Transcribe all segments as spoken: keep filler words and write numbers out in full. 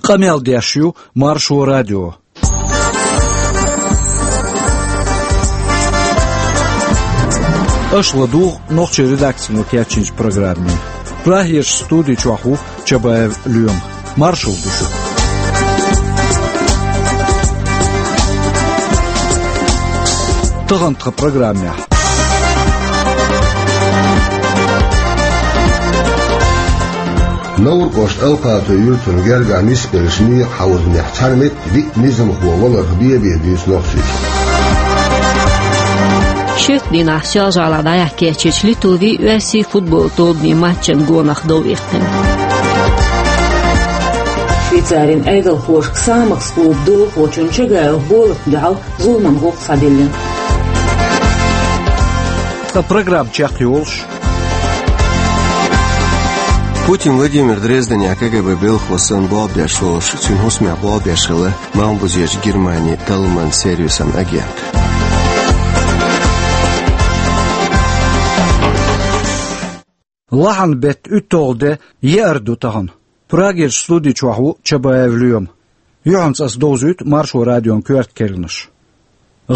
Къамел деш ю Маршо радио. Аша ладугӀу нохчийн редакцино кечйинчу программе. Прагерчу студи чохь ву Чабаев Лоьма. Маршалла ду шуьга. Тахана тхан программехь. Невран кӀоштан Алкхатуй юьртана гергахь нисбеллачу некъан хьовзанехь цхьана метта виъ низамхо валарх бен-бен дуьйцу нохчаша. Шоьтан дийнахь Соьлжа-ГӀалахь дӀаяхьа кечйинчу Литвин, Оьрсийн футболан тобанийн матчана гонах дов иккхина. Швейцарин Ӏедалхошка Самахс клубан доьзалхочун Чагаев Болатна дуьхьал зуламан гӀуллакх схьадиллина. Ткъа программа чекхйолуш. Путин Владимир Дрезденехь КГБ белхало санна болх беш волуш, цуьнан хӀусамехь болх беш хилла Малхбузерчу Германин талламан сервисан агент. Лахьанан беттан уьтталгӀа де, еара ду тахана. Прагерчу студи чохь ву Чабаев Лоьма. Юьхьанца ас довзуьйту Маршо радион коьрта керланаш.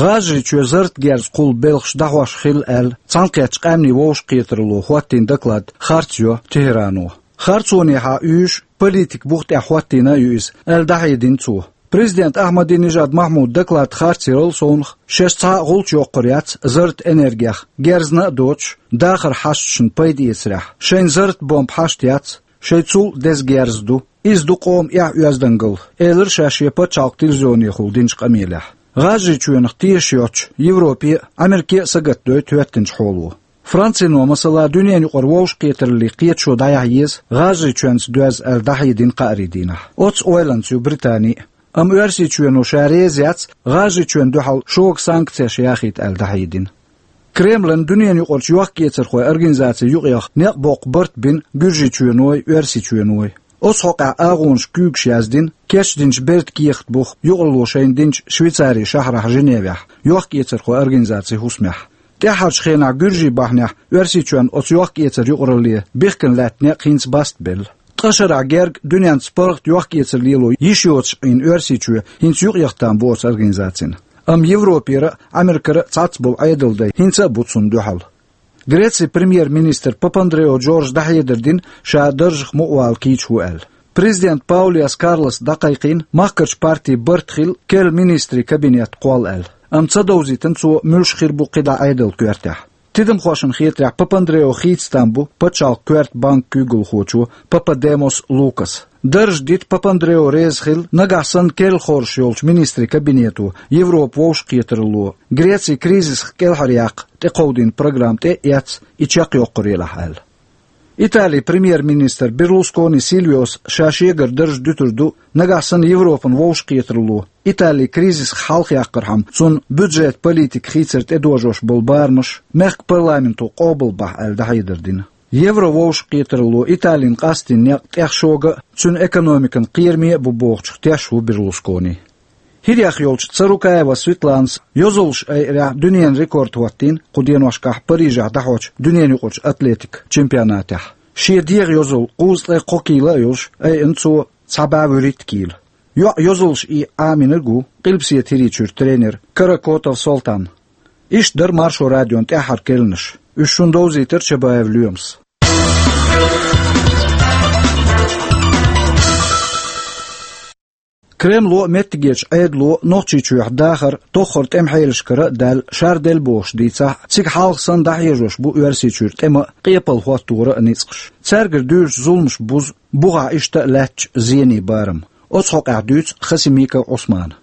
ГӀажарийчоь зарратан герз кхуллу белхаш дӀахьош хилла аьлла, Цхьаьнакхеттачу Къаьмнийн вовшахкхетаралло хӀоттийна доклад харц йо Тегерано. Харцонехьа уьйш политикан бух тӀехь хӀоттийна а ю иза, аьлла, дӀахьедина цо. Президент Ахьмадинежад Махьмудан доклад харц ярал совнаха, шаьш цхьа а гӀулч йоккхур яц зарратан энергех, герзна а доцуш, дахаран хьашташна пайда эцарехь. Шайна зарратан бомба хьашт яц, шайн цул деза герз ду. Иза ду къоман эхь-оьздангалла, элира ша шен пачхьалкхан телевизионехула динчу къамелехь. ГӀажарийчоьнах тешаш йоцуш Европе а, Ӏамерке а сагатдойту хӀоьттинчу хьоло. Францино, масала, дуьненан юкъара вовшахкхетараллин кхеташо дӀаяхьа еза ГӀажарийчоьнца доьзна аьлла дӀахьедина кхаарин дийнахь. Оцу ойланца ю Британи а. Амма Оьрсийчоьно ша реза яц ГӀажарийчоьнна дуьхьал шога санкцеш яхийта аьлла дӀахьедина. Кремлан дуьненан юкъарчу йохк-эцархойн организацийн юкъех некъ боккху барт бина Гуьржийчоьной, Оьрсийчоьной. Оцу хьокъехь агӀонаш куьйгаш яздина кечдинчу бертан кехат буха юкъаралло шайна динчу Швейцарин шахьарахь Женевехь йохк-эцархойн организацин хӀусамехь. ТӀаьххьарчу хенахь гуьржийн бахьанехь Оьрсийчоьнна оцу йохк-эцаран юкъаралле бихкина лаьтта некъ хӀинца баста белла. Ткъа шарахь герга дуьненца паргӀат йохк-эцар лело йиш йоцуш Ӏийна Оьрсийчоь хӀинца юкъаяхтам бу оцу организацина. Амма Европера а, Ӏамеркара а цхьацца болу Ӏедалдай хӀинца а бу цунна дуьхьал. Грецин премьер-министр Папандрео Джорджа дӀахьедар дина, ша даржах мукъавала кийча ву аьлла. Президент Паулиас Карлос дӀакхайкхийна, махкарчу партийн барт хилла керла министрийн кабинет кхолла аьлла. Амма ца довзийтина цо муьлш хир бу кхидӀа Ӏедалан коьртехь. Тидамхошна хетарехь, Папандрео хийца там бу пачхьалкхан коьрта банкан куьйгалхочо Пападемос Лукаса. Дарж дита Папандрео реза хилла, нагахь санна керла хоржуш йолчу министрийн кабинето Европан вовшахкхетаралло Греци кризисах кӀелхьаръяккха тӀекховдийна программа тӀе а эцна, и чекхйоккхур елахь аьлла. Италин премьер-министр Берлускони Сильвиос ша шегара дарж дуьтур ду, нагахь санна Европан вовшахкхетаралло Итали кризисах хьалхаяккхархьама, цунна бюджетан политика хийцар тӀедожош болу барамаш мехкан парламенто къобалбахь аьлла дӀахьедар дина. Еврововшахкхетаралло Италина къастийна некъ тӀех шога а, цуьнан экономикана кхераме а бу бохучух теш ву Берлускони. ХӀирах йолчу Царукаева Светланас йозаллаш айъарехь дуьненан рекорд хӀоттийна кху деношкахь Парижехь дӀахьочу дуьненан юкъарчу атлетикан чемпионатехь. Шен дегӀан йозалла кхузткъе кхо кийла а йолуш айъина цо цхьа бӀе вуьрхӀитта кийла. ЙоӀ йозаллаш ийа Ӏамийнарг ву Къилбаседа ХӀирийчуьра тренер Каракотов Солтан. Иштта дара Маршо радион тӀаьххьара керланаш. Уьш шуна довзийтира Чабаев Лоьмас. Кремло а, меттигерчу Ӏедало а Нохчийчохь дахар тоххара тӀеман хьелашкара а даьлла шарделла бохуш дийцахь а, цига хьалха санна дӀахьежош бу Оьрсийчуьра тӀема а, къепал хӀоттора а ницкъаш. Цаьргара дуьйлучу зуламаш бузу бухахь иштта а лаьттачу зенийн барам. Оцу хьокъехь дуьйцу Хасимиков Ӏусмана.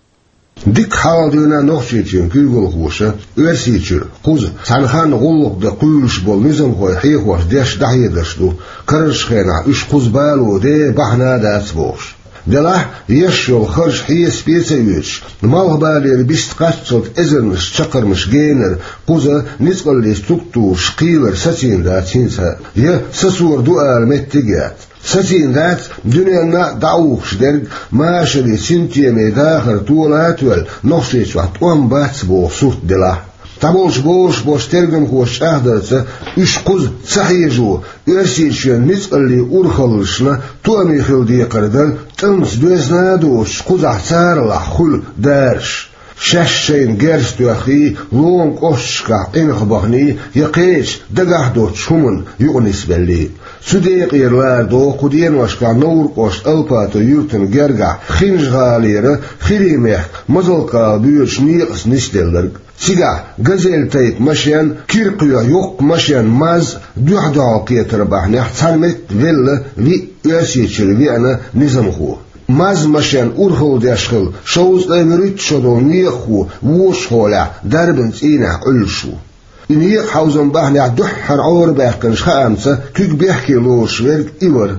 Дика хьалха дуьйна Нохчийчоьнан куьйгалхоша Оьрсийчуьра кхуза цхьана ханна гӀуллакх дан кхуьйлуш болу низамхой хьехош деш дӀахьедарш ду, карарчу хенахь уьш кхуза бало де бахьана а дац бохуш. Делахь, еш йолу харж хьесапе а ца оьцуш, малхбалера бист кхаччалц эзарнаш чаккхармаш генара кхуза ницкъаллийн структураш кхийлар сацийна дац хӀинца а, я сацор ду ала меттиг а яц. Сацийна дац дуьненна а дӀаухуш дерг, машаре, синтеме дахар тола а тоьлла, Нохчийчохь тӀом бац боху сурт делахь. Цхьаболчу бозуш болчу тергамхоша чӀагӀдарца, уьш кхуза ца хьежо, Оьрсийчоьнан ницкъаллин урхаллашна тоам хила декхар дара тӀамца доьзна а доцуш, кхузахь царалахь хуьлу дараш. Шаьш шайна герз тоьххий, лома кӀошташкахь къинхьа баханий я кхечу дагахь доцучу хӀуманна юкъанисбеллий. Цу декъера лара догӀу кху деношкахь Невран кӀоштан Алпатов юьртана гергахь Хинжа-ГӀалера, ХӀирийн мехкан Мазалк-ГӀала боьдучу некъаца нисделларг. Цигахь газель тайпа машен, кира кхоьхьу йоккха машен, МАЗ, дуьхь-дуьхьал кхетар бахьанехь цхьана метта велла виъ Оьрсийчуьра веана низамхо. МАЗ-машен урхалла деш хилла шовзткъе вуьрхӀитта шо долу некъахо вочу хьолехь дарбан цӀийнехь Ӏуьллуш ву. И некъан хьовзам бахьанехь дуьххьара Ӏорабаьккхинчу хаамца куьг бехке лоруш верг и вара.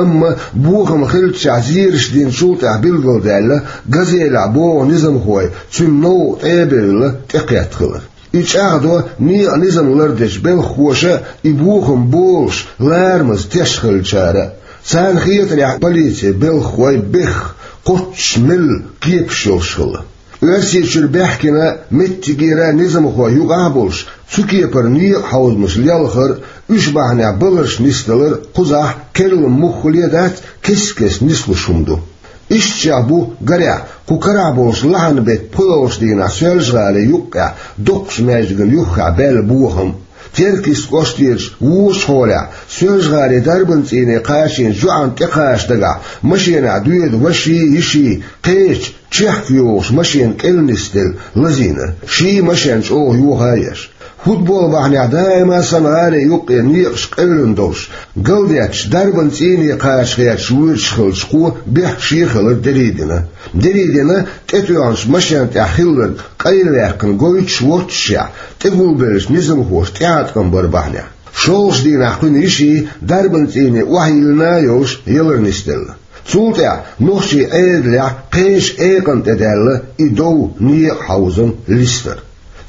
Амма бохам хиллачохь зераш динчул тӀаьхьа билгалдаьлла, газелехь богӀу низамхой цуьнан новкъа тӀе а бевлла, тӀекхетта хилар. И чӀагӀдо некъан низам лардечу белхахоша а, и бохам болуш ларамаза тешна хиллачара а. Царна хетарехь, полицин белхахой бехха, кхоччуш мелла кепаш йолуш хилла. Оьрсийчуьра баьхкина меттигера низамхой юкъахь а болуш, цу кепара некъан хьовзамаш лелхар а, уьш бахьанехь баларш нисдалар а кхузахь, керла муххале а дац, кест-кеста нислуш хӀума ду. Ишттачех бу, гарехь, кху карахь болчу лахьанан беттан пхоьалгӀачу дийнахь Соьлжа-ГӀалин юккъехь доккхачу маьждигна юххехь баьлла бохам. Теркйист кӀоштарчу вочу хьолехь, Соьлжа-ГӀалин дарбан цӀийне кхачийначу йоӀана тӀекхача дагахь, машенахь доьду ваший, йиший, кхечу, чехка йогӀуш машенан кӀел нисделла, лазийна, ший машен чӀогӀа йоха а еш. Футбол бахьанехь даима санна гӀалин юккъе некъаш къевлина долуш, галдетташ дарбан цӀийне кхача гӀерташ воьдуш хиллачу кхо бехкаш хилар дерриг а дина. Дерриг а дина, тӀетоьхначу машен тӀехь хилларг къайлаваьккхина гойтуш воццушехь, тӀегулбеллачу низамхоша тӀеӀаткъам бар бахьанехь. ШолгӀачу дийнахь кхуьнан йиший дарбан цӀийне охьайиллина а йолуш ялар нисделла. Цул тӀаьхьа нохчийн Ӏедалехь кхечу экъана тӀе даьлла и дов, некъан хьовзам листар.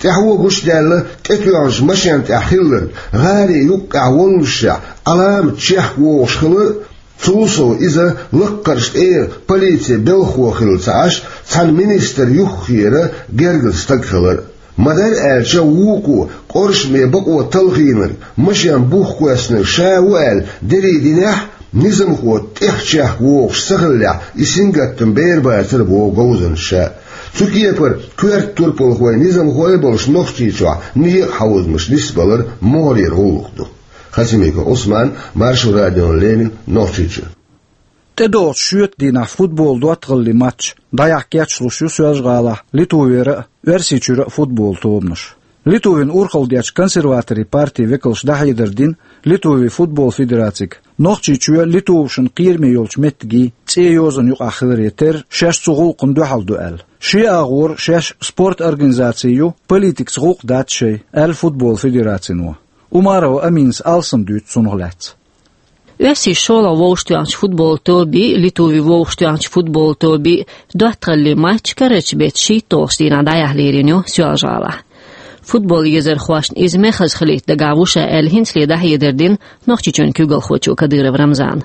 ТӀаьхьо гучудаьлла, тӀетоьхначу машен тӀехь хилларг гӀалин юккъехь воллушехь Ӏаламат чехка вогӀуш хилар а, цул сов иза лаккхарчу тӀера полицин белхахо хилла ца Ӏаш, цхьана министран юххера гергара стаг хилар а. Ма-дарра аьлча, вукхо къоршаме бакъо талхийнарг, машен бух кхоьссинарг ша ву аьлла дерриг а динехь а, низамхо тӀех чехка вогӀуш ца хиллехь, и сингаттам бер бацара, боху говзанчаша. Цу кепара коьрта турпалхой, низамхой а болуш Нохчийчохь некъан хьовзамаш нисбалар могӀарера гӀуллакх ду. Хасимиков Ӏусман, Маршо радиона леррина, Нохчийчуьра. ТӀедогӀучу шоьтан дийнахь футбол доттагӀаллин матч дӀаяхьа кечлуш ю Соьлжа-ГӀалахь Литвера а, Оьрсийчуьра а футбол тобанаш. Литвин урхалла дечу консерваторийн партин векалша дӀахьедар дина Литвин футбол федерацига, Нохчийчоь Литвашна кхераме йолчу меттигийн цӀен йозанна юкъахь хиларе терра, шаьш цу гӀуллакхна дуьхьал ду аьлла. Шен агӀора шаьш спорт организаци ю, политикаца гӀуллакх дац шайн, аьлла футбол федерацино. Умарова Аминас алсам дуьйцу цунах лаьцна. Оьрсийн шолгӀа вовшахтоьхначу футбол тобий, Литвин вовшахтоьхначу футбол тобий доттагӀаллин матч карарчу беттан шийтталгӀачу дийнахь дӀаяхьа лерина ю Соьлжа-ГӀалахь. Футбол езархошна иза мехаза хилийта дагахь ву ша аьлла, хӀинцале дӀахьедар дина Нохчийчоьнан куьйгалхочо Кадыров Рамзана.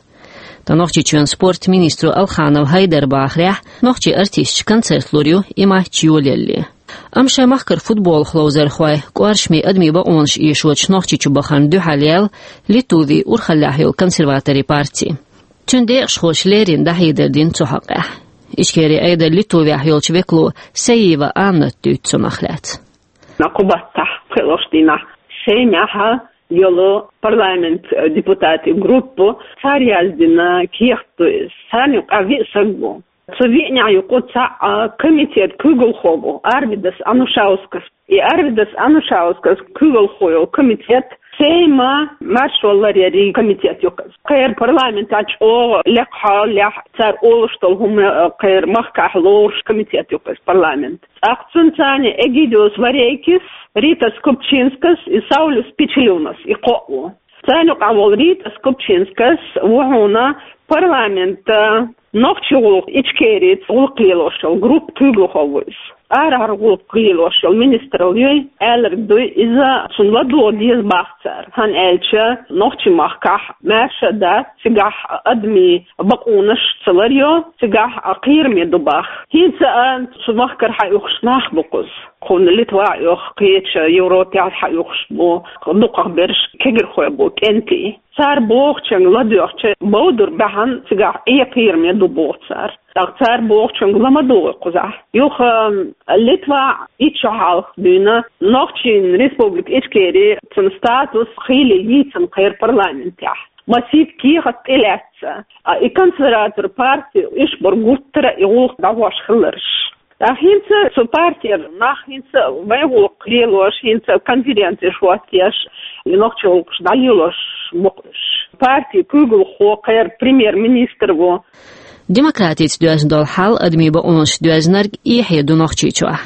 Ткъа Нохчийчоьнан спортан министро Алханов Хьайдара бахарехь, нохчийн артисташа концерт лур ю и матч йолаялале. Амма шайн махкара футболах ловзархой, кӀоршаме адамийн бакъонаш эшочу Нохчийчу бахарна дуьхьал яьлла Литвин урхаллехь йолу консерваторийн парти. Цуьнан декъашхоша леррина дӀахьедар дина цу хьокъехь. Ичкерин Ӏедалан Литвехь йолчу векало Саиева Анната дуьйцу цунах лаьцна. Кху баттахь, кхоалгӀачу дийнахь, Сеймехь йолу парламент депутатийн группа, цара яздина кехат ду иза. Царна юкъахь виъ стаг ву. Цу виънех юкъа цхьаъ комитет куьйгалхо ву, Арвидас Анушаускас. И Арвидас Анушаускас куьйгалхо йолу комитет Сейман маршо ларъярийн комитет ю-кх иза. Кхеран парламентехь чӀогӀа лекха хьолехь, цара олуш долу хӀума кхеран махкахь лоруш комитет ю-кх иза, парламент. ТӀаккха цуьнан царна Эгидиус Варейкис, Рита Скупчинскас и Саулюс Пичелюнас, и кхоъ ву. Царна юкъахь волу Рита Скупчинскас ву хьуна парламентан нохчийн гӀуллакх, Ичкерин гӀуллакх лелош йолу группа куьйгалхо ву иза. Арахьара гӀуллакх лелош йолу министралла юй, аьлларг дуй, иза цунна ладогӀа деза боху цара. ХӀунда аьлча нохчийн махкахь маьрша а дац, цигахь адамийн бакъонаш ца ларъйо, цигахь кхераме ду боху. ХӀинца а цу махкара хьаухуш нах бу кхуза. Кхунна Литва а ю, кхеча Европехь хьаухуш бу, дукхах берш кегирхой бу, кӀентий. Цара бохучуьнга ладоьгӀча, бовдур баьхьна цигахь Ӏе кхераме ду боху цара. ТӀаккха цара бохучуьнга ла ма дугӀу кхузахь. Юха Литва итт шо хьалха дуьйна Нохчийн Республика Ичкери цуьнан статус хийла йийцина кхеран парламентехь. Масийтта кехат тӀелаьцна. А и консерватор парти уьш бара гуттара а и гӀуллакх дӀахьош хиларш. ТӀаккха хӀинца цу партера нах хӀинца вайн гӀуллакх лелош, хӀинца конференцеш хӀоттош, и нохчийн гӀуллакхаш дӀалелош бу-кх уьш. Партин куьйгалхо кхеран премьер-министр ву. Демократица доьзна долу хьал, адамийн бакъонаш доьзнарг эхье ду Нохчийчохь.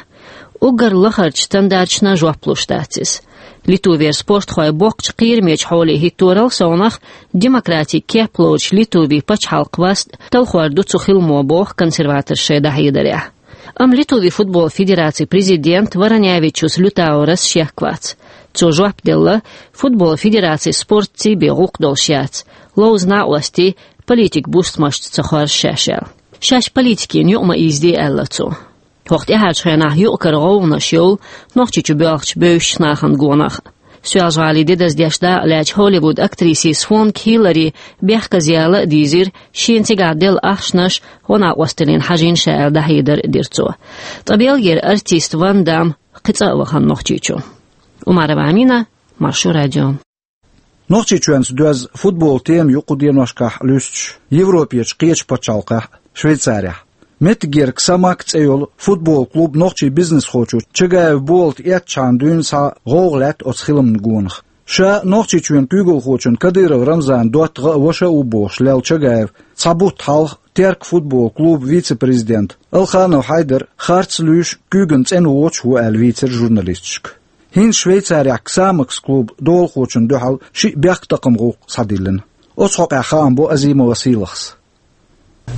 Уггар лахарчу стандарташна жоп луш дац иза. Литвера спортхой боккхачу кхерамечу хьоле хӀитторал совнах, демократин кеп лоцучу Литвин пачхьалкх васт талхор ду цу хиламо, боху консерваторша шайн дӀахьедарехь. Амма Литвин футбол федерацин президент Варанявичус Лютаурас шек вац. Цо жоп делла, футбол федераци спортций бен гӀуллакх долуш яц, ловза накъостий политикан бустамашца ца хоржу шаьш аьлла. Шаьш политикина юкъа ма ийзаде аьлла цо. ХӀокху тӀаьхьарчу хенахь юкъ-кара гӀовгӀанаш йолу Нохчийчу боьлхучу бевзачу нахана гонах. Соьлжа-ГӀалин де даздеш дакъа лаьцначу Холливуд актрисин Свонг Хиллари бехказа яла а дийзира, шена цигахь делла ахчанаш гӀо-накъосталлина хьажийна ша аьлла, дӀахьедар а дира цо. Ткъа Бельгера артист Ван Дам кхин цкъа а вахана Нохчийчу. Умарова Амина, Маршо радио. Нохчийчоьнца доьзна футбол тема ю кху деношкахь луьстуш Европерчу кхечу пачхьалкхехь, Швейцарехь. Меттигерчу «Ксамак» цӀе йолу футбол клуб нохчийн бизнесхочо Чагаев Болат эцначхьана дуьйна схьа гӀовгӀа лаьтта оцу хиламна гонах. Ша Нохчийчоьнан куьйгалхочун Кадыров Рамзанан доттагӀа а, ваша а ву бохуш лелла Чагаев цхьа бутт хьалха Терк футбол клубан вице-президент Алханов Хьайдар харц луьйш, куьйган цӀена воцуш ву аьлла вийцира журналисташка. ХӀинца Швейцарехь «Ксамакс» клубан долахочунна дуьхьал шиъ бехктакхаман гӀуллакх схьадиллина. Оцу хьокъехь хаам бо Азимова Сийлахьс.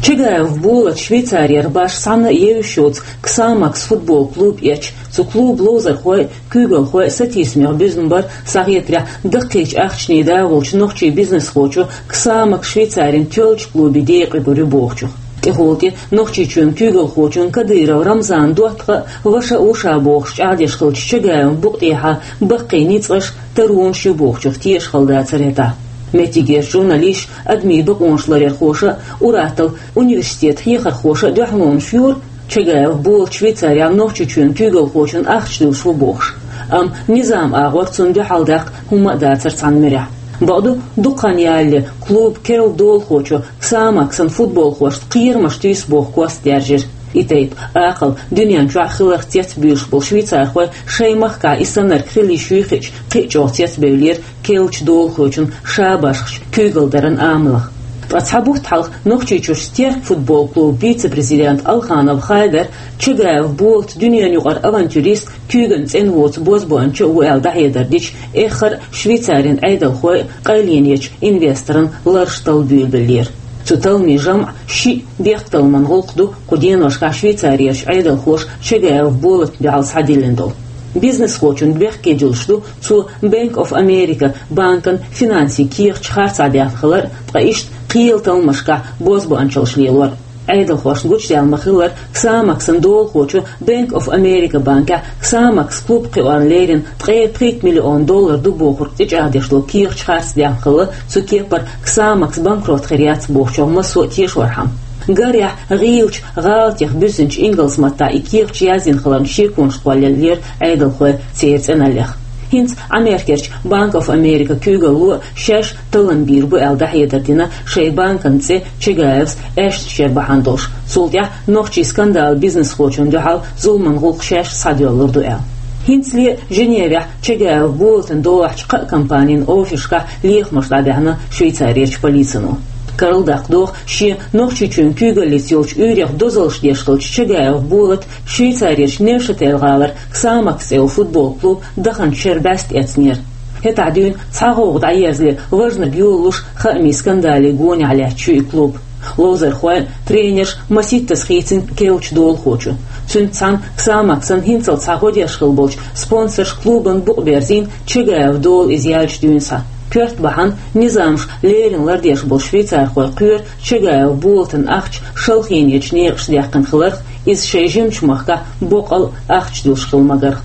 Чагаев Болат Швейцарера башха цхьанна а евзаш йоцу «Ксамакс» футбол клуб эцча, цу клубан ловзархой а, куьйгалхой а сатийсамех буьзна бара, схьахетарехь, даккхийчу ахчанийн дагӀа волчу нохчийн бизнесхочо «Ксамакс» Швейцарин тоьллачу клубан декъе гур ю бохучух. ТӀехула тӀе Нохчийчоьнан куьйгалхочун Кадыров Рамзанан доттагӀа а, ваша а ву ша бохуш чӀагӀдеш хиллачу Чагаевн букъа тӀехьа баккхий ницкъаш, таронаш ю бохучух тешаш хилла дацара хӀетахь. Меттигерчу журналисташа, адамийн бакъонаш ларъярхоша а, ур-атталла университетан хьехархоша а дуьхьалонаш йора, Чагаев Болат Швейцарехь Нохчийчоьнан куьйгалхочунна ахча луьйш ву бохуш. Амма низаман агӀор цунна дуьхьал даккха хӀумма а дацара цхьана муьрехь. Бакъду, дукха хан ялале клубан керла долахочо «Ксамаксан» футболхошна кхерамаш туьйсу боху кост даьржира. И тайпа акхал дуьнен чохь хиларх цецбуьйлуш болу швейцархой шайн махкахь и саннарг хила йиш юй хиъча, кхин а чӀогӀа цецбевллера керлачу долахочун ша башхачу куьйгалдаран амалах. Ткъа цхьа бутт хьалха Нохчийчуьрчу «Терк» футбол клубан вице-президент Алханов Хайдар Чагаев Болат дуьненан юкъара авантюрист, куьйган цӀена воцу бозбуанча а ву аьлла дӀахьедар дича, эххар а Швейцарин Ӏедалхой а къайленечу инвесторан лараш талла буьйлабеллера. Цу талламийн жамӀан шиъ бехктакхаман гӀуллакх ду кху деношкахь Швейцарерчу Ӏедалхоша Чагаев Болатна дуьхьал схьадиллина долу. Бизнесхочун бехке дуьллуш ду цо Bank of America банкан финансийн кехаташ харцахьа даьхна хилар а, ткъа иштта кхелан талламашкахь бозбуанчаллаш лелор а. Ӏедалхошна гучудаьлла ма-хиллара, «Ксамаксан» долахочо Bank of America банкехь «Ксамакс» клуб кхиорна леррина ткъе пхийтта миллион доллар ду бохург тӀечӀагӀдеш долу кехаташ харцдаьхна хилла, цу кепара «Ксамакс» банкрот хир яц бохучух массо а тешорхьама. Гарехь, гӀийлачу гӀалатех буьззинчу ингалс маттахь и кехаташ яздина хиларна шеконаш кхоллаеллера Ӏедалхой церан цӀеналлех. ХӀинца Америкерчу Bank of America куьйгалло а шаьш таллам бийр бу аьлла дӀахьедар дина шайн банкан цӀе Чагаевс аьшнаш яр бахьана долуш, цул тӀаьхьа нохчийн скандала бизнесхочунна дуьхьал зуламан гӀуллакх шаьш схьадоьллур ду аьлла. ХӀинцале а Женевехь Чагаев Болатна долахьчу кхаа компанин офисашкахь лехамаш дӀабаьхьна Швейцарерчу полицино. Карладаккха догӀу, шен Нохчийчоьнан куьйгаллица йолчу уьйрех дозаллаш деш хиллачу Чагаев Болата Швейцарерчу Невшатель-гӀалара «Ксамакс» цӀе йолу футбол клуб даханчу шеран бӀаьста эцнера. ХӀетахь дуьйна цхьа гӀовгӀа дӀаерзале, важнарг йолалуш, хаамийн скандале гонехь лаьтташ ю и клуб. Ловзархой а, тренерш а масийттаза хийцина керлачу долахочо. Цуьнца цхьаьна «Ксамаксан» хӀинццалц схьа гӀо деш хилла болчу спонсорша клубана букъ берзийна, Чагаев долу иза яьлча дуьйна схьа. Коьрта бахьана, низамаш леррина лардеш болу швейцархой кхоьру Чагаев Болатан ахча шалхийнечу некъашца даьккхина хиларх, Иза шайн жимачу махкахь боккъал ахча дуьллуш хилла магарх.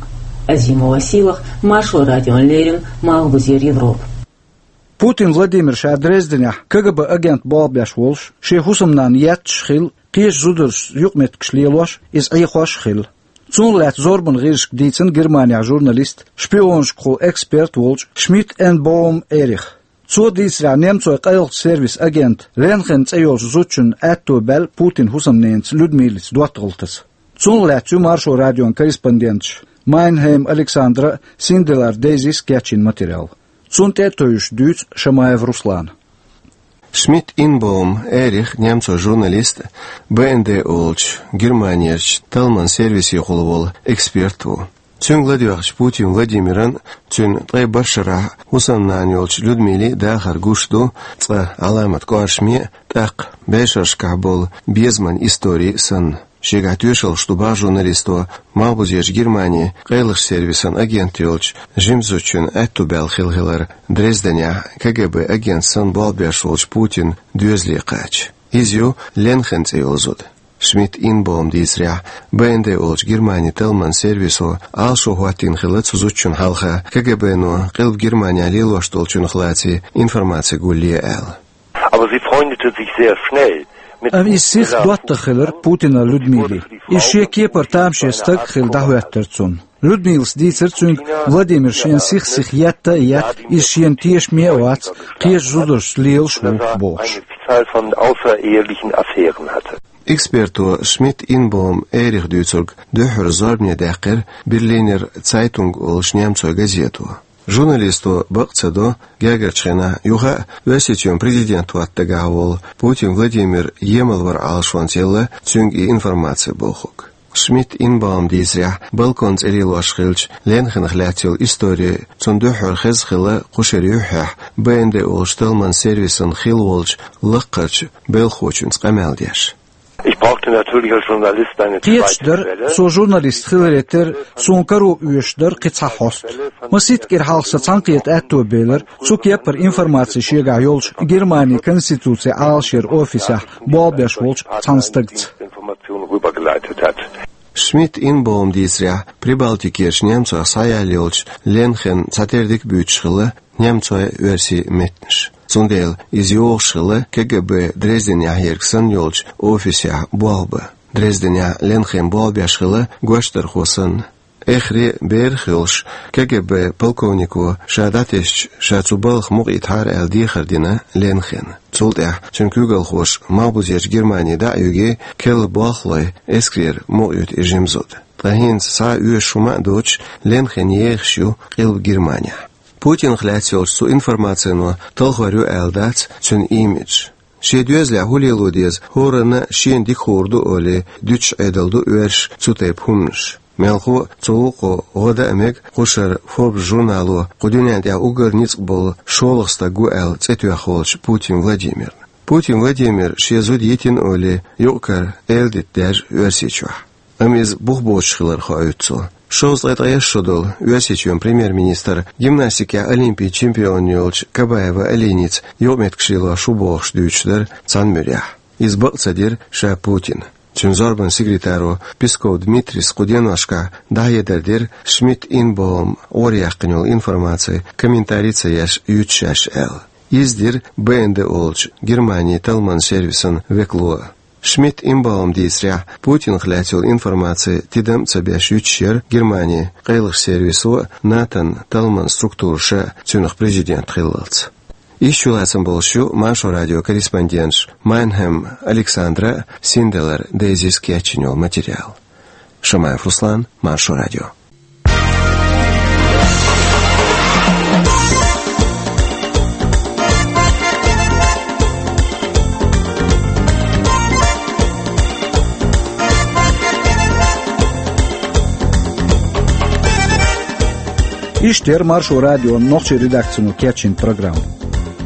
Азимова Сийлаха, Маршо радиона леррина, Малхбузера Европа. Путин Владимир ша Дрезденехь КГБ агент болх беш волуш, шен хӀусамнана етташ хилла, кхечу зударшца юкъаметтигаш лелош, иза Ӏехош а хилла. Цунах лаьцна зорбанан гӀирсашка дийцина Германехь журналиста, шпионашкахула эксперт волчу Шмидт Энбоум Эрих. Цо дийцарехь, немцойн къайлахчу сервисан агента Ленхен цӀе йолчу зудчунна аьтто баьлла Путинан хӀусамненаца Людмилица доттагӀалла таса. Цунах лаьцна ю Маршо радион корреспонденташа Майнхейм Александра а, Синделар Дейзис а кечйина материал. Цунна тӀе а тевжаш дуьйцу Шамаев Руслана. Шмидт Инбоум Эрих немцойн журналист а, Б Н Д олучу Германерчу талламан сервисехула волу эксперт а ву. Цуьнга ладоьгӀча Путин Владимиран а, цуьнан ткъе барх шарахь хӀусамнана йолчу Людмилин а дахар гуш ду цкъа Ӏаламат кӀоршаме а, тӀаккха бӀешерашкахь болу безаман истори а санна. Шегахь тоьшаллаш ду боху журналисто Малхбузерчу Германин къайлахчу сервисан агент йолчу жима зудчунна аьтто баьлла хилла хилар Дрезденехь КГБ агент санна болх беш волчу Путинан доьзале кхача. Иза ю Ленхен цӀе йолу зуда. Шмидт Инбоум дийцарехь, Б Н Д олучу Германин талламан сервисо Ӏалашо хӀоттийна хилла цу зудчунна хьалха КГБ-но Къилба Германехь лелош долчуьнах лаций информаци гулъе аьлла. Aber sie freundete sich sehr schnell mit Amma иза сиха доттагӀа хилира Путинан Людмиле. Иза шен кепара тамаше стаг а хилла дӀахӀоьттира цунна. Людмилас дийцира цуьнга, Владимир шена сих-сиха етта а етта, иза шена тешаме а вац, кхечу зударшца лелаш ву бохуш. Eine Zahl von außerehelichen Affären hatte. Эксперто Шмидт Инбоум Эрих дуьйцург дуьххьара зорбане даьккхира Берлинер Цайтунг олуш немцойн газето. Журналисто бакъ ца до, гергарчу хенахь юха а Оьрсийчоьнан президент хӀотта дагахь волу Путин Владимир емал вара Ӏалашонца елла цуьнга и информаци бохург. Шмидт Инбаум дийцарехь, балкон цӀе лелош хиллачу Ленхенах лаьцна йолу истори цунна дуьххьара хезна хилла кху шеран юьххьехь Б Н Д олучу талламан сервисан хилла волчу лаккхарчу белхахочуьнца къамел деш. Ich brauchte natürlich als Journalist eine Кхеташ zweite дара, Quelle. Со журналист хиларе терра, суна каро оьшуш дара кхин цхьа хьоста. Масийтта кӀира хьалха сан цхьаьнакхета аьтто белира, цу кеппара информаци шегахь йолчу Германин конституцин Ӏалашъяран офисехь болх беш волчу цхьана стагца. Information rübergeleitet hat. Шмидт Инбаум дийцарехь, Прибалтикерчу немцойх схьаяьлла йолчу Ленхен цхьатерра дика буьйцуш хилла немцойн а, оьрсийн а меттанаш. Цундела иза йогӀуш хилла К Г Б Дрезденехь ерг санна йолчу офисехь болх бан. Дрезденехь Ленхен болх беш хилла гочдархо санна. Эххар а, берах а йолуш, К Г Б полковнико ша дӀатесча, ша цу балха мукъаийтахьара аьлла дехар дина Ленхена. Цул тӀаьхьа цуьнан куьйгалхоша Малхбузерчу Германи дӀа а юьгий, керла болхлой эскарера мукъаюьту и жима зуда. Ткъа хӀинца схьа а оьшуш хӀума а доцуш, Ленхен ехаш ю Къилба Германехь. Путинах лаьцна йолчу цу информацино талхор ю аьлла дац цуьнан имидж. Шен доьзалехь хӀун лело деза, хӀоранна а шена дика хуур ду олий, дуьтуш Ӏедал ду оьрсаша цу тайпа хӀуманаш. Мелхо а, цу гӀуллакхо гӀо дан а мега кху шарахь Forbes журнало кху дуьнен тӀехь уггар ницкъ болу шолгӀа стаг ву аьлла цӀе тоьхна волчу Путин Владимирна. Путин Владимира шен зуда йитина олий, юкъ-кара эладита даьржа Оьрсийчохь. Амма иза бух боцуш хилар хоуьйту цо. Шовзткъе ткъайесна шо долу Оьрсийчоьнан премьер-министр гимнастикехь олимпийн чемпион йолчу Кабаева Алиница юкъаметтигаш лелош ву бохуш дуьйцуш дара цхьана муьрехь. Иза бакъ ца дира ша Путина. Цуьнан зорбанан секретаро Песков Дмитрийс кху деношкахь дӀахьедар дира Шмидт Инбаум гӀораяьккхина йолу информаци комментари ца еш юьтуш шаьш аьлла. Иза дира Б Н Д олучу Германин талламан сервисан векало а. Шмидт Инбаум дийцарехь, Путинах лаьцна йолу информаци тидам а ца беш юьтуш яра Германин къайлахчу сервисо а, НАТО-н талламан структураша а цуьнах президент хиллалц. Иштта чулацам болуш ю Маршо радион корреспонденташа Майнхем Александра а, Синделар Дейзис а кечйина йолу материал. Шамаев Руслан, Маршо радио. Иштта яра Маршо радион нохчийн редакцино кечйина программа.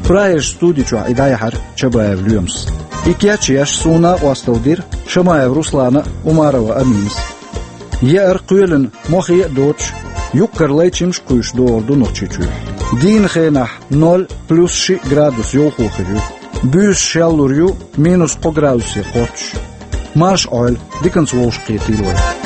Прагерчу студи чохь и дӀаяьхьира Чабаев Лоьмас. И кечъеш суна накъосталла дира Шамаев Руслана а, Умарова Аминас а. Яар кхоьлина мохе а доцуш, юккъера лайчамаш кхуьйсуш догӀур ду Нохчийчохь. Дийнан хенахь ноль плюс шиъ градус йовхо хир ю. Буьйса шеллур ю минус кхо градусе кхоччуш. Марша Ӏойла, диканца вовшахкхетийла вай.